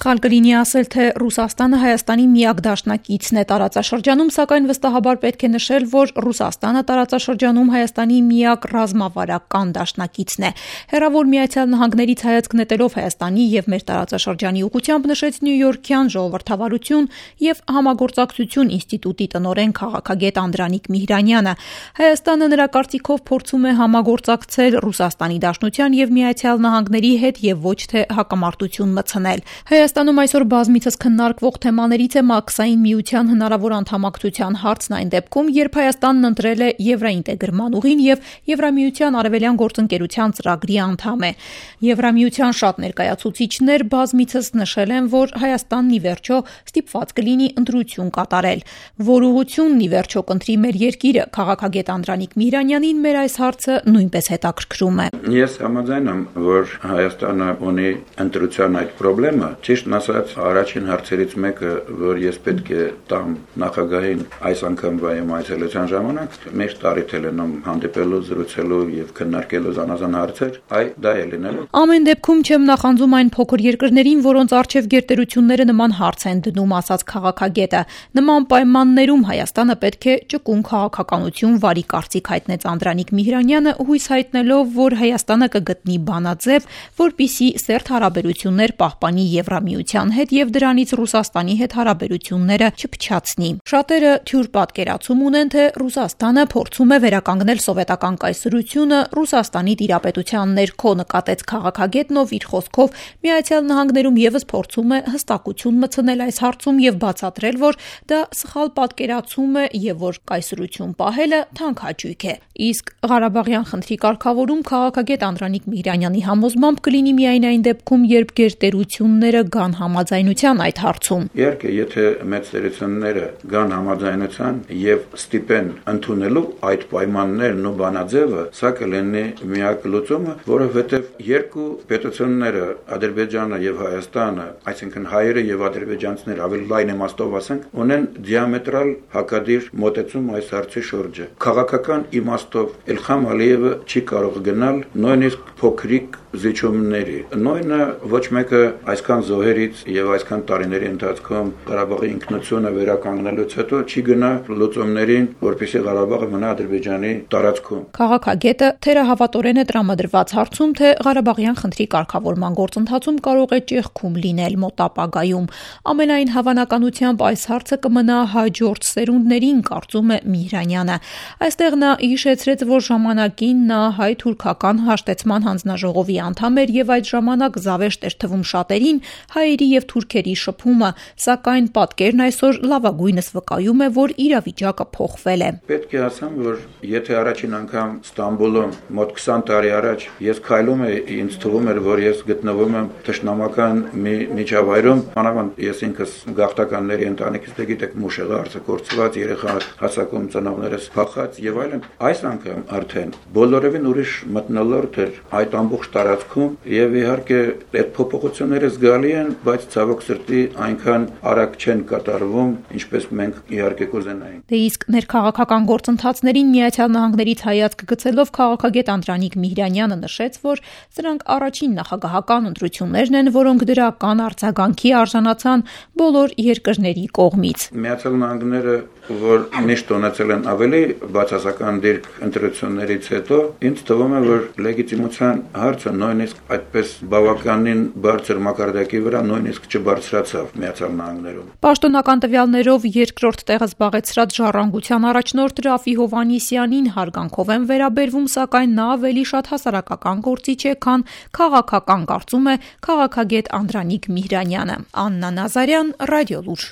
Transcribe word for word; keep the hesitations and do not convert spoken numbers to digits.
Սխալ կլինի ասել, թե Ռուսաստանը Հայաստանի միակ դաշնակիցն է տարածաշրջանում, սակայն վստահաբար պետք է նշել, որ Ռուսաստանը տարածաշրջանում Հայաստանի միակ ռազմավարական դաշնակիցն է։ Հեռավոր Միացյալ Նահանգներից հայացք նետելով Հայաստանի եւ մեր տարածաշրջանի ուղղությամբ նշեց Նյույորքյան ժողովրդավարություն եւ համագործակցություն ինստիտուտի տնօրեն քաղաքագետ Անդրանիկ Միհրանյանը։ Հայաստանը նրա կարծիքով փորձում է համագործակցել Ռուսաստանի Դաշնության եւ Միացյալ Նահանգների հետ եւ ոչ թե հակամարտություն մտցնել։ Հայաստանում այսօր բազմիցս քննարկվող թեմաներից է Մաքսային միության հնարավոր անդամակցության հարցն այն դեպքում, երբ Հայաստանն ընտրել է եվրոինտեգրման ուղին եւ Եվրամիության արևելյան գործընկերության ծրագրի անդամ է։ Եվրամիության շատ ներկայացուցիչներ բազմիցս նշել են, որ Հայաստանն ի վերջո ստիպված կլինի ընտրություն կատարել։ Որ ուղղությունն ի վերջո կընտրի մեր երկիրը, քաղաքագետ Անդրանիկ Միհրանյանին մեր այս հարցը նույնպես հետաքրքրում է։ Ես համաձայն եմ, որ Հայաստանը ունի ընտրության այդ խնդրը, ճիշտն ասած, առաջին հարցերից մեկը, որ ես պետք է տամ նախագահին այս անգամվա իմ այցելության ժամանակ, մեր տարիթել են հանդիպելու, զրուցելու եւ քննարկելու զանազան հարցեր, այ դա է լինելու։ Ամեն դեպքում չեմ նախանձում այն փոքր երկրներին, որոնց արչեւ գերտերությունները նման հարց են դնում, ասաց քաղաքագետը։ Նման պայմաններում Հայաստանը պետք է ճկուն քաղաքականություն վարի, կարծիք հայտնեց Անդրանիկ Միհրանյանը, հույս հայտնելով, որ Հայաստանը կգտնի բանաձև, որպիսի սերտ հարաբերություններ պահպանի Եվրամիության հետ եւ դրանից Ռուսաստանի հետ հարաբերությունները չփչացնի։ Շատերը թյուր պատկերացում ունեն, թե Ռուսաստանը փորձում է վերականգնել սովետական կայսրությունը Ռուսաստանի տիրապետության ներքո, նկատեց քաղաքագետն, ով իր խոսքով Միացյալ Նահանգներում եւս փորձում է հստակություն մտցնել այս հարցում եւ բացատրել, որ դա սխալ պատկերացում է եւ որ կայսրություն պահելը թանկ հաճույք է։ Իսկ Ղարաբաղյան խնդրի կարգավորում քաղաքագետ Անդրանիկ Միհրանյանի համոզմամբ կլինի միայն այն դեպքում, երբ գերտերությունները գան համաձայնության այդ հարցում։ Իհարկե, եթե մեծ տերությունները գան համաձայնության եւ ստիպեն ընդունելու այդ պայմաններն ու բանաձևը, սա կլինի միակ լուծումը, որովհետեւ երկու պետությունները, Ադրբեջանը եւ Հայաստանը, այսինքն հայերը եւ ադրբեջանցիները, ավելի լայն իմաստով ասենք, ունեն դիամետրալ հակադիր մոտեցում այս հարցի շուրջը։ Քաղաքական իմաստով Իլհամ Ալիևը չի կարող գնալ նույնիսկ փոքրիկ զիջումների։ Նույնը ոչ մեկը այսքան զոհերից եւ այսքան տարիների ընթացքում Ղարաբաղի ինքնությունը վերականգնելուց հետո չի գնա լուծումներին, որպեսզի Ղարաբաղը մնա Ադրբեջանի տարածքում։ Քաղաքագետը թերահավատորեն է տրամադրված հարցում, թե Ղարաբաղյան խնդրի կարգավորման գործընթացում կարող է ճեղքում լինել մոտ ապագայում։ Ամենայն հավանականությամբ այս հարցը կմնա հաջորդ սերունդներին, կարծում է Միհրանյանը։ Այստեղ նա հիշեցրեց, որ ժամանակին նա հայ-թուրքական հաշտեցման հանձնաժողովի անդամ էր եւ այդ ժամանակ զավեշտ էր թվում շատերին հայերի եւ թուրքերի շփումը, սակայն պատկերն այսօր լավագույնս վկայում է, որ իրավիճակը փոխվել է։ Պետք է ասեմ, որ եթե առաջին անգամ Ստամբուլում մոտ քսան տարի առաջ ես քայլում էի, ինձ թվում էր, որ ես գտնվում եմ թշնամական մի միջավայրում, մանավանդ ես ինքս գաղթականների ընտանիքից, դե գիտեք, մուշեղը արձակուրծված, երեխա հասակում ծնողներս փախած եւ այլն, այս անգամ արդեն բոլորովին ուրիշ մթնոլորտ էր այդ ամբողջ տարածքում եւ իհարկե այդ փոփոխությունները զգալի են, բայց ցավոք սրտի այնքան արագ չեն կատարվում, ինչպես մենք իհարկե կուզենայինք։ Դե իսկ ներքաղաքական գործընթացներին Միացյալ Նահանգներից հայացք գցելով քաղաքագետ Անդրանիկ Միհրանյանը նշեց, որ սրանք առաջին նախագահական ընտրություններն են, որոնք դրական արձագանքի արժանացան բոլոր երկրների կողմից։ Միացյալ Նահանգները, որ միշտ ունեցել են ավելի բացասական դիրք ընտրություններից հետո, ինձ թվում է, որ լեգիտիմության հարցը նույնիսկ այդպես բավականին բարձր մակարդակի վրա նույնիսկ չբարձրացավ Միացյալ Նահանգներում։ Պաշտոնական տվյալներով երկրորդ տեղը զբաղեցրած Ժառանգության առաջնորդ Ռաֆի Հովհաննիսյանին հարգանքով են վերաբերվում, սակայն նա ավելի շատ հասարակական գործիչ է, քան քաղաքական, կարծում է քաղաքագետ Անդրանիկ Միհրանյանը։ Աննա Նազարյան, Ռադիոլուր։